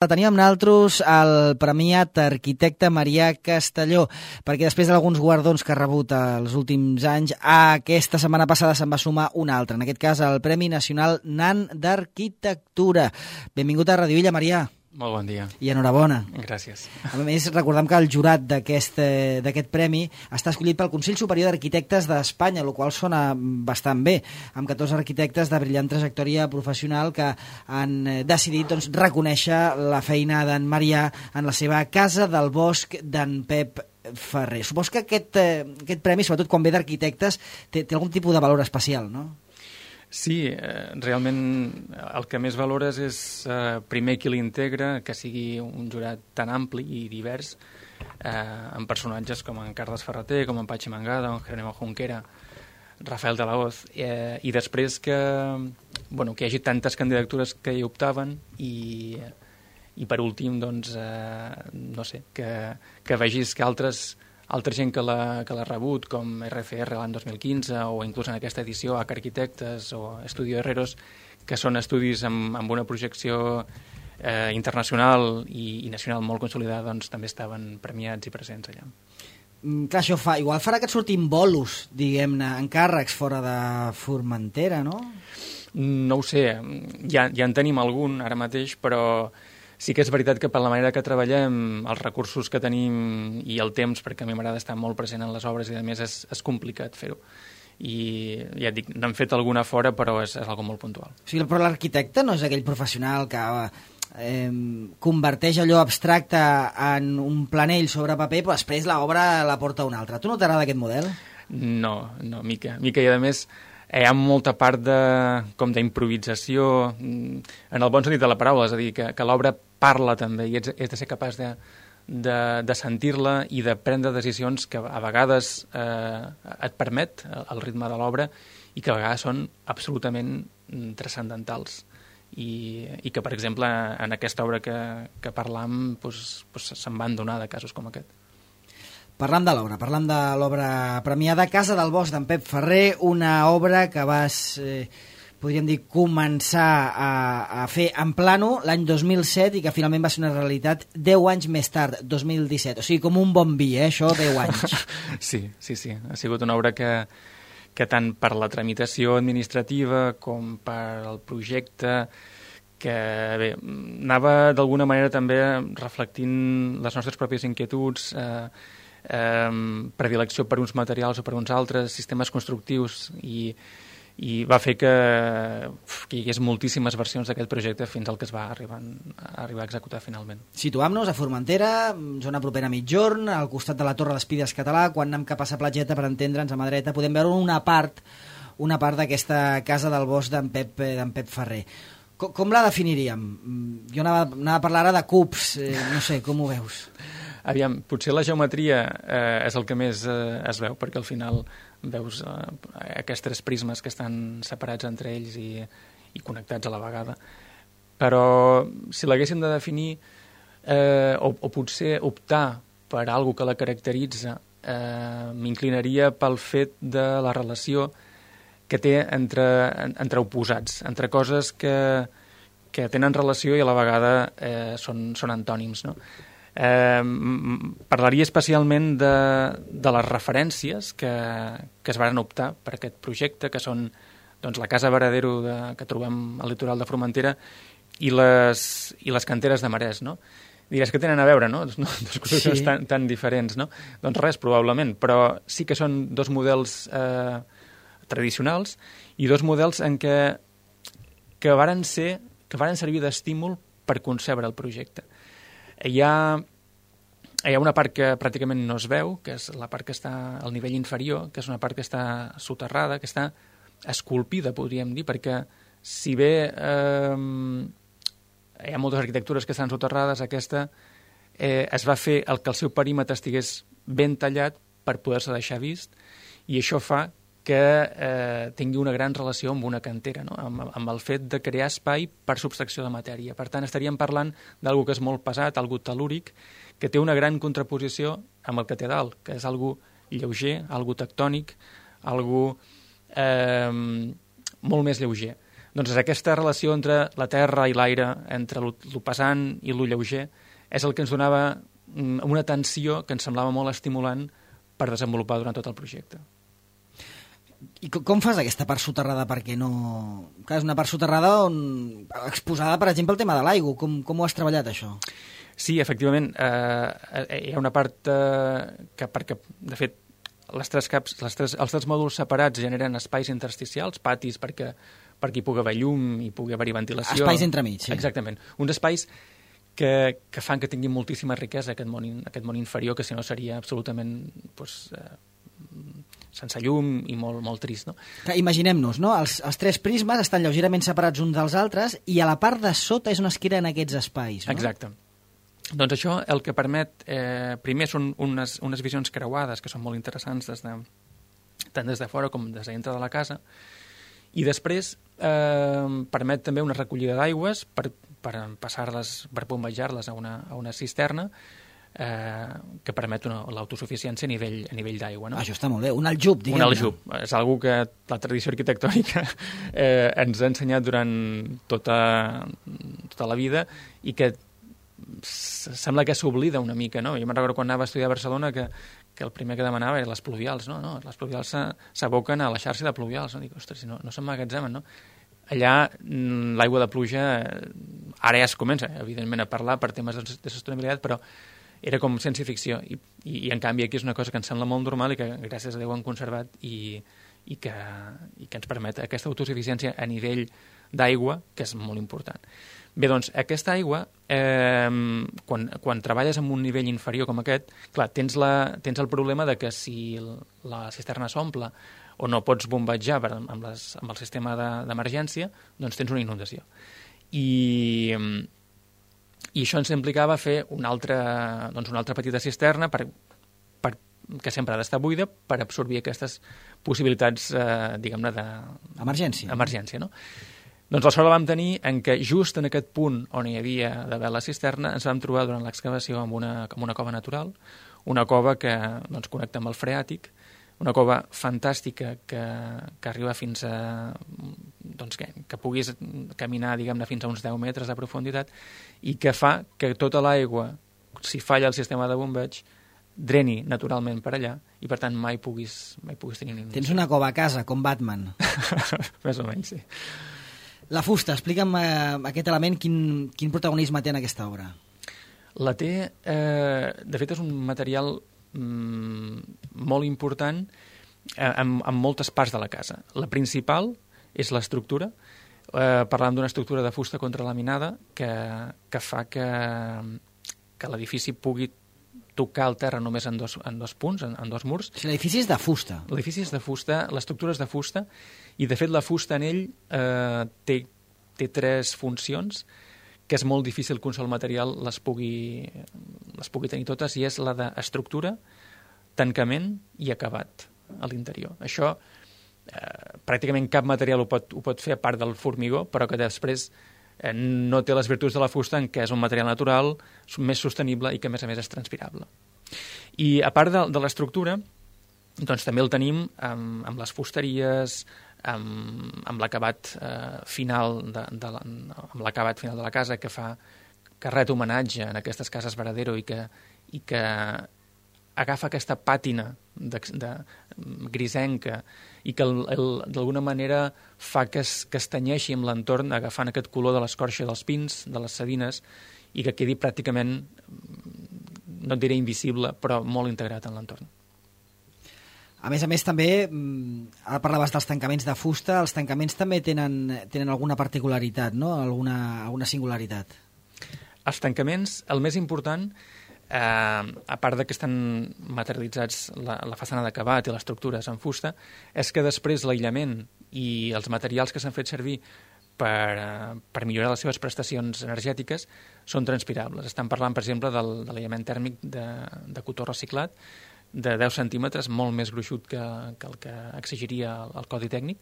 Teníem nosaltres el premiat arquitecte Marià Castelló, perquè després d'alguns guardons que ha rebut els últims anys, aquesta setmana passada se'n va sumar un altre, en aquest cas el Premi Nacional NAN d'Arquitectura. Benvingut a Radio Illa, Marià. Molt bon dia. I enhorabona. Gràcies. A més, recordem que el jurat d'aquest premi està escollit pel Consell Superior d'Arquitectes d'Espanya, el qual sona bastant bé, amb 14 arquitectes de brillant trajectòria professional que han decidit reconèixer la feina d'en Marià en la seva Casa del Bosc d'en Pep Ferrer. Supos que aquest premi, sobretot quan ve d'arquitectes, té algun tipus de valor especial, no? Sí, realment el que més valores és primer qui l'integra, que sigui un jurat tan ampli i divers, amb personatges com en Carles Ferreter, com en Patxi Mangada, en Jerónimo Junquera, Rafael de la Hoz, i després que hi hagi tantes candidatures que hi optaven i per últim, que vegis que altra gent que l'ha rebut, com RCR l'any 2015, o inclús en aquesta edició H Arquitectes o Estudio Herreros, que són estudis amb una projecció internacional i nacional molt consolidada, doncs també estaven premiats i presents allà. Clar, això igual farà que et surtin bolos, diguem-ne, encàrrecs fora de Formentera, no? No ho sé, ja en tenim algun ara mateix, però sí que és veritat que per la manera que treballem, els recursos que tenim i el temps, perquè a mi m'agrada estar molt present en les obres i a més és complicat fer-ho. I ja et dic, n'han fet alguna fora, però és algo molt puntual. O sigui, però l'arquitecte no és aquell professional que converteix allò abstracte en un planell sobre paper, però després l'obra la porta un altre. Tu no t'agrada aquest model? No, mica. I a més hi ha molta part d'improvisació, en el bon sentit de la paraula, és a dir, que l'obra parla també i ets de ser capaç de sentir-la i de prendre decisions que a vegades et permet el ritme de l'obra i que a vegades són absolutament transcendentals i que, per exemple, en aquesta obra que parlam se'n van donar de casos com aquest. Parlam de l'obra premiada Casa del Bosc d'en Pep Ferrer, una obra que vas, podríem dir, començar a fer en plano l'any 2007 i que finalment va ser una realitat 10 anys més tard, 2017. O sigui, com un bon vi, això, 10 anys. Sí. Ha sigut una obra que tant per la tramitació administrativa com per el projecte, que bé, anava d'alguna manera també reflectint les nostres pròpies inquietuds, predilecció per uns materials o per uns altres, sistemes constructius, i va fer que hi hagués moltíssimes versions d'aquest projecte fins al que es va arribar a executar finalment. Situam-nos a Formentera, zona propera a Migjorn, al costat de la Torre d'Espides Català. Quan anem cap a la platgeta, per entendre'ns, a mà dreta, podem veure una part d'aquesta Casa del Bosc d'en Pep Ferrer. Com la definiríem? Jo anava a parlar ara de cubs, no sé, com ho veus? Aviam, potser la geometria és el que més es veu, perquè al final veus aquests tres prismes que estan separats entre ells i connectats a la vegada. Però si l'haguéssim de definir, o potser optar per alguna que la caracteritza, m'inclinaria pel fet de la relació que té entre oposats, entre coses que tenen relació i a la vegada són antònims, no? Parlaria especialment de les referències que es varen optar per aquest projecte, que són la Casa Varadero que trobem al litoral de Formentera i les canteres de Marès, no? Diràs que tenen a veure, no? Dos construccions tan diferents, no? Doncs res, probablement, però sí que són dos models tradicionals i dos models en que varen servir d'estímul per concebre el projecte. Hi ha una part que pràcticament no es veu, que és la part que està al nivell inferior, que és una part que està soterrada, que està esculpida, podríem dir, perquè si bé hi ha moltes arquitectures que estan soterrades, aquesta es va fer que el seu perímetre estigués ben tallat per poder-se deixar vist, i això fa que tingui una gran relació amb una cantera, no? Amb el fet de crear espai per subtracció de matèria. Per tant, estaríem parlant d'algú que és molt pesat, algú tel·lúric, que té una gran contraposició amb el que té dalt, que és algú lleuger, algú tectònic, algú molt més lleuger. Doncs aquesta relació entre la terra i l'aire, entre lo pesant i lo lleuger, és el que ens donava una tensió que ens semblava molt estimulant per desenvolupar durant tot el projecte. I com fas aquesta part soterrada? Perquè no... Clar, és una part soterrada exposada, per exemple, el tema de l'aigua. Com ho has treballat, això? Sí, efectivament. Hi ha una part que, perquè, de fet, els tres mòduls separats generen espais intersticials, patis, perquè hi pugui haver llum i pugui haver-hi ventilació. Espais entremig, sí. Exactament. Uns espais que fan que tinguin moltíssima riquesa aquest món inferior, que si no seria absolutament sense llum i molt trist, no? Imaginem-nos, no? Els tres prismes estan lleugerament separats uns dels altres i a la part de sota és on es creen aquests espais, no? Exacte. Doncs això el que permet, primer són unes visions creuades que són molt interessants tant des de fora com des de dintre de la casa, i després permet també una recollida d'aigües per passar-les, per bombejar-les a una cisterna que permet l'autosuficiència a nivell d'aigua. No? Això està molt bé, un aljub, diguem-ne. Un aljub, és una que la tradició arquitectònica ens ha ensenyat durant tota la vida i que sembla que s'oblida una mica, no? Jo me'n recordo quan anava a estudiar a Barcelona que el primer que demanava eren les pluvials, no? Les pluvials s'aboquen a la xarxa de pluvials, no? Dic, ostres, no s'emmagatzemen, no? Allà l'aigua de pluja ara ja es comença, evidentment, a parlar per temes de sostenibilitat, però era com ciència-ficció i en canvi aquí és una cosa que ens sembla molt normal i que gràcies a Déu han conservat i que ens permet aquesta autosuficiència a nivell d'aigua, que és molt important. Bé, doncs, aquesta aigua, quan treballes en un nivell inferior com aquest, clar, tens el problema de que si la cisterna s'omple o no pots bombejar amb el sistema d'emergència, doncs tens una inundació. I això ens implicava fer una altra petita cisterna que sempre ha d'estar buida per absorbir aquestes possibilitats, diguem-ne, d'emergència, no? Doncs la sort la vam tenir en què just en aquest punt on hi havia d'haver la cisterna ens vam trobar durant l'excavació amb una cova natural, una cova que connecta amb el freàtic, una cova fantàstica que arriba fins a... que puguis caminar, diguem-ne, fins a uns 10 metres de profunditat i que fa que tota l'aigua, si falla el sistema de bombeig, dreni naturalment per allà i, per tant, mai puguis tenir una inundació. Tens una cova a casa, com Batman. Més o menys, sí. La fusta, explica'm aquest element, quin protagonisme té en aquesta obra? La té, de fet, és un material molt important en moltes parts de la casa. La principal és l'estructura. Parlàvem d'una estructura de fusta contralaminada que fa que l'edifici pugui tocar el terra només en dos punts, en dos murs. Si l'edifici és de fusta. L'edifici és de fusta, l'estructura és de fusta, i de fet la fusta en ell té tres funcions que és molt difícil que un sol material les pugui tenir totes, i és la d'estructura, tancament i acabat a l'interior. Això pràcticament cap material ho pot fer a part del formigó, però que després no té les virtuts de la fusta, en què és un material natural, més sostenible i que a més és transpirable. I a part de l'estructura, doncs també el tenim amb les fusteries, amb l'acabat final de la casa, que ret homenatge en aquestes cases Varadero i que agafa aquesta pàtina grisenca i que d'alguna manera fa que es tenyeixi amb l'entorn, agafant aquest color de l'escorça dels pins, de les savines, i que quedi pràcticament, no et diré invisible, però molt integrat en l'entorn. A més, també, ara parlaves dels tancaments de fusta, els tancaments també tenen alguna particularitat, no? Alguna singularitat. Els tancaments, el més important, a part de que estan materialitzats la façana d'acabat i les estructures en fusta, és que després l'aïllament i els materials que s'han fet servir per millorar les seves prestacions energètiques són transpirables. Estan parlant, per exemple, de l'aïllament tèrmic de cotó reciclat, de 10 centímetres, molt més gruixut que el que exigiria el codi tècnic,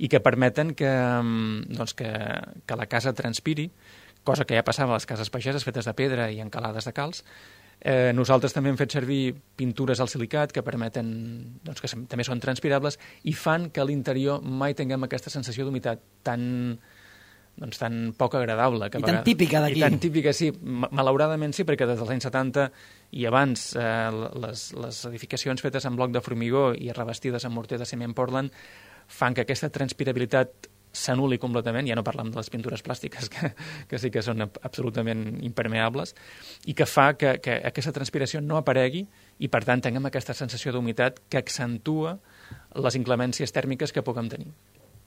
i que permeten que la casa transpiri, cosa que ja passava a les cases pageses fetes de pedra i encalades de calç, Nosaltres també hem fet servir pintures al silicat que permeten, doncs, que també són transpirables i fan que a l'interior mai tinguem aquesta sensació d'humitat tan poc agradable. I tan típica d'aquí. I tan típica, sí. Malauradament sí, perquè des dels anys 70 i abans les edificacions fetes en bloc de formigó i revestides amb morter de ciment Portland fan que aquesta transpirabilitat s'anul·li completament, ja no parlem de les pintures plàstiques, que sí que són absolutament impermeables, i que fa que aquesta transpiració no aparegui i, per tant, tinguem aquesta sensació d'humitat que accentua les inclemències tèrmiques que puguem tenir.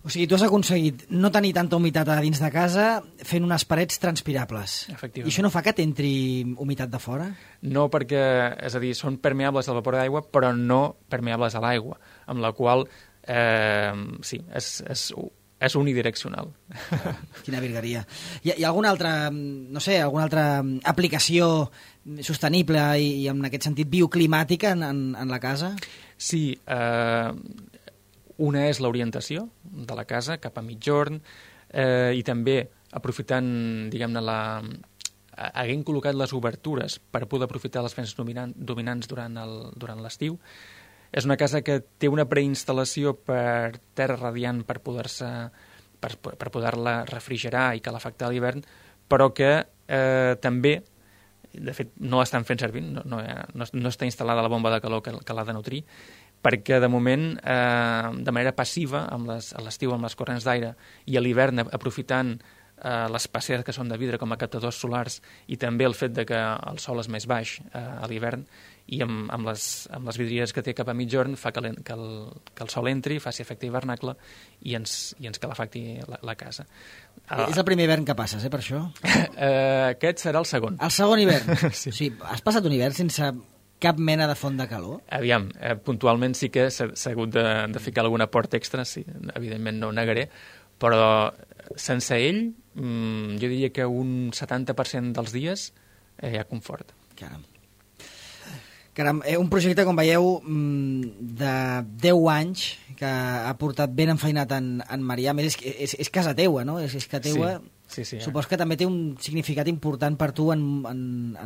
O sigui, tu has aconseguit no tenir tanta humitat a dins de casa fent unes parets transpirables. Efectivament. I això no fa que t'entri humitat de fora? No, perquè, és a dir, són permeables al vapor d'aigua, però no permeables a l'aigua, amb la qual, sí, és unidireccional. Quina virgueria. Hi ha alguna altra, no sé, alguna altra aplicació sostenible i en aquest sentit bioclimàtica en la casa? Sí, una és l'orientació de la casa cap a migjorn i també aprofitant, diguem-ne, havent col·locat les obertures per poder aprofitar les vents dominants durant l'estiu. És una casa que té una preinstal·lació per terra radiant per poder-la refrigerar i calefactar a l'hivern, però que també, de fet, no l'estan fent servir, no està instal·lada la bomba de calor que l'ha de nutrir, perquè de moment, de manera passiva, a l'estiu amb les corrents d'aire i a l'hivern aprofitant les passeres que són de vidre com a captadors solars i també el fet de que el sol és més baix a l'hivern i amb les vidrieres que té cap a migjorn fa que el sol entri, faci efecte hivernacle i ens calefacti la casa. És el primer hivern que passes, per això? Aquest serà el segon. El segon hivern? Sí. O sigui, has passat un hivern sense cap mena de font de calor? Aviam, puntualment sí que s'ha hagut de ficar alguna porta extra, sí, evidentment no ho negaré, però sense ell jo diria que un 70% dels dies hi ha confort. Caram, un projecte, com veieu, de 10 anys que ha portat ben enfeinat en Marià. A més, és casa teua, no? És que teua... Sí, supos que també té un significat important per tu en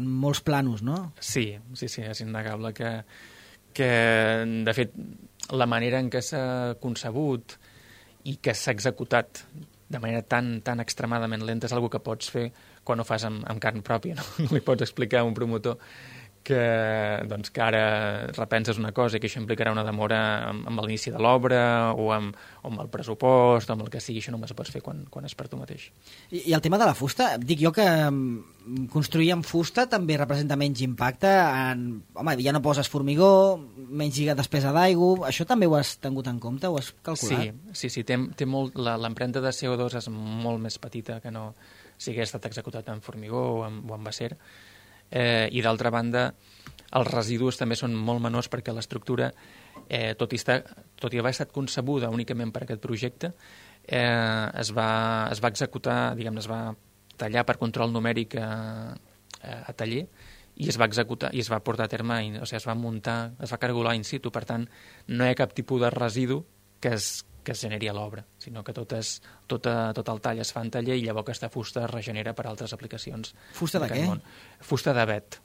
molts planos, no? Sí, és innegable que de fet, la manera en què s'ha concebut i que s'ha executat de manera tan extremadament lenta és una que pots fer quan ho fas amb carn pròpia, no? No li pots explicar a un promotor que ara repenses una cosa i que això implicarà una demora amb l'inici de l'obra o amb el pressupost o amb el que sigui, això només ho pots fer quan és per tu mateix. I el tema de la fusta, dic jo que construir amb fusta també representa menys impacte home, ja no poses formigó, menys despesa d'aigua, això també ho has tingut en compte, ho has calculat? Sí, té molt, l'empremta de CO2 és molt més petita que no si hagués estat executat en formigó o en acer. I d'altra banda els residus també són molt menors perquè l'estructura, tot i haver estat concebuda únicament per aquest projecte, es va executar, diguem-ne, es va tallar per control numèric a taller i es va executar i es va portar a terme, o sigui, es va muntar, es va cargolar in situ, per tant no hi ha cap tipus de residu que es generi a l'obra, sinó que tot el tall es fa en taller i llavors aquesta fusta es regenera per altres aplicacions. Fusta de què? Fusta d'avet.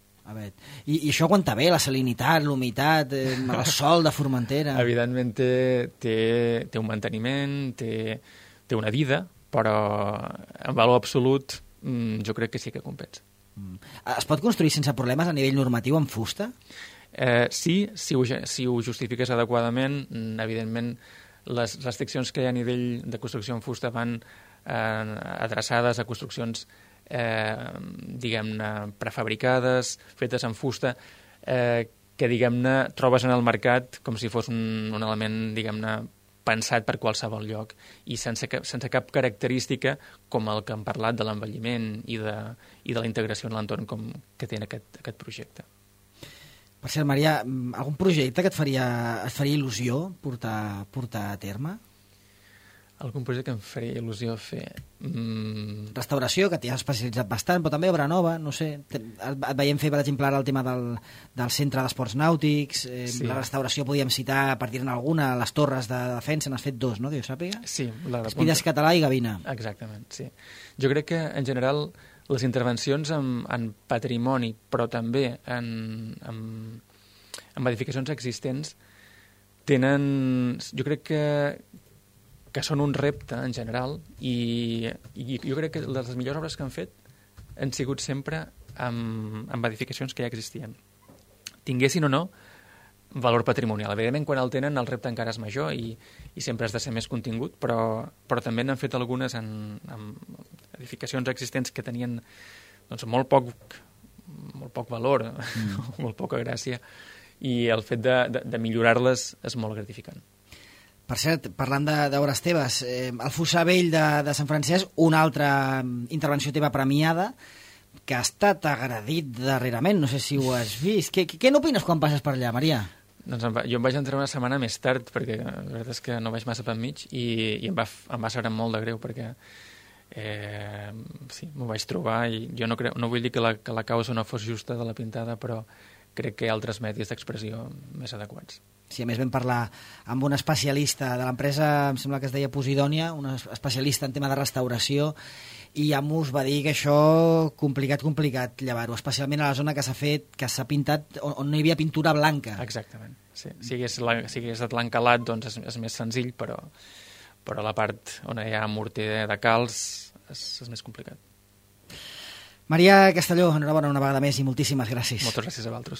I això aguanta bé, la salinitat, l'humitat, el sol de Formentera? Evidentment té un manteniment, té una vida, però en valor absolut jo crec que sí que compensa. Es pot construir sense problemes a nivell normatiu amb fusta? Sí, si ho justifiques adequadament, evidentment les restriccions que hi ha a nivell de construcció en fusta van adreçades a construccions diguem-ne prefabricades, fetes en fusta, que diguem-ne trobes en el mercat com si fos un element diguem-ne pensat per qualsevol lloc i sense cap característica com el que hem parlat de l'envelliment i de la integració en l'entorn que té aquest projecte. Per cert, Marià, algun projecte que et faria il·lusió portar a terme? Algun projecte que em faria il·lusió fer? Restauració, que t'hi has especialitzat bastant, però també obra nova, no sé. Et veiem fer, per exemple, ara el tema del centre d'esports nàutics, sí. La restauració podíem citar, per dir-ne alguna, les torres de defensa, n'has fet 2, no?, que jo sàpiga? Sí. Espides Català i Gavina. Exactament, sí. Jo crec que, en general, les intervencions en patrimoni, però també en edificacions existents, jo crec que són un repte en general i jo crec que les millors obres que han fet han sigut sempre amb edificacions que ja existien. Tinguessin o no valor patrimonial. Evidentment, quan el tenen, el repte encara és major i sempre has de ser més contingut, però també n'han fet algunes en edificacions existents que tenien doncs, molt poc valor, molt poca gràcia, i el fet de millorar-les és molt gratificant. Per cert, parlant d'obres teves, el Fossar Vell de Sant Francesc, una altra intervenció teva premiada, que ha estat agredit darrerament, no sé si ho has vist. Què n'opines quan passes per allà, Maria? Doncs jo em vaig entrar una setmana més tard, perquè la veritat és que no vaig massa per mig, i em va saber molt de greu, perquè sí, m'ho vaig trobar, i jo no vull dir que la causa no fos justa de la pintada, però crec que hi ha altres medis d'expressió més adequats. Sí, a més vam parlar amb un especialista de l'empresa, em sembla que es deia Posidònia, un especialista en tema de restauració, i ja us va dir que això complicat llevar-ho, especialment a la zona que s'ha pintat, on no hi havia pintura blanca. Exactament. Sí. Si hagués estat l'encalat, doncs és més senzill, però la part on hi ha morter de calç és més complicat. Maria Castelló, enhorabona una vegada més i moltíssimes gràcies. Moltes gràcies a vosaltres.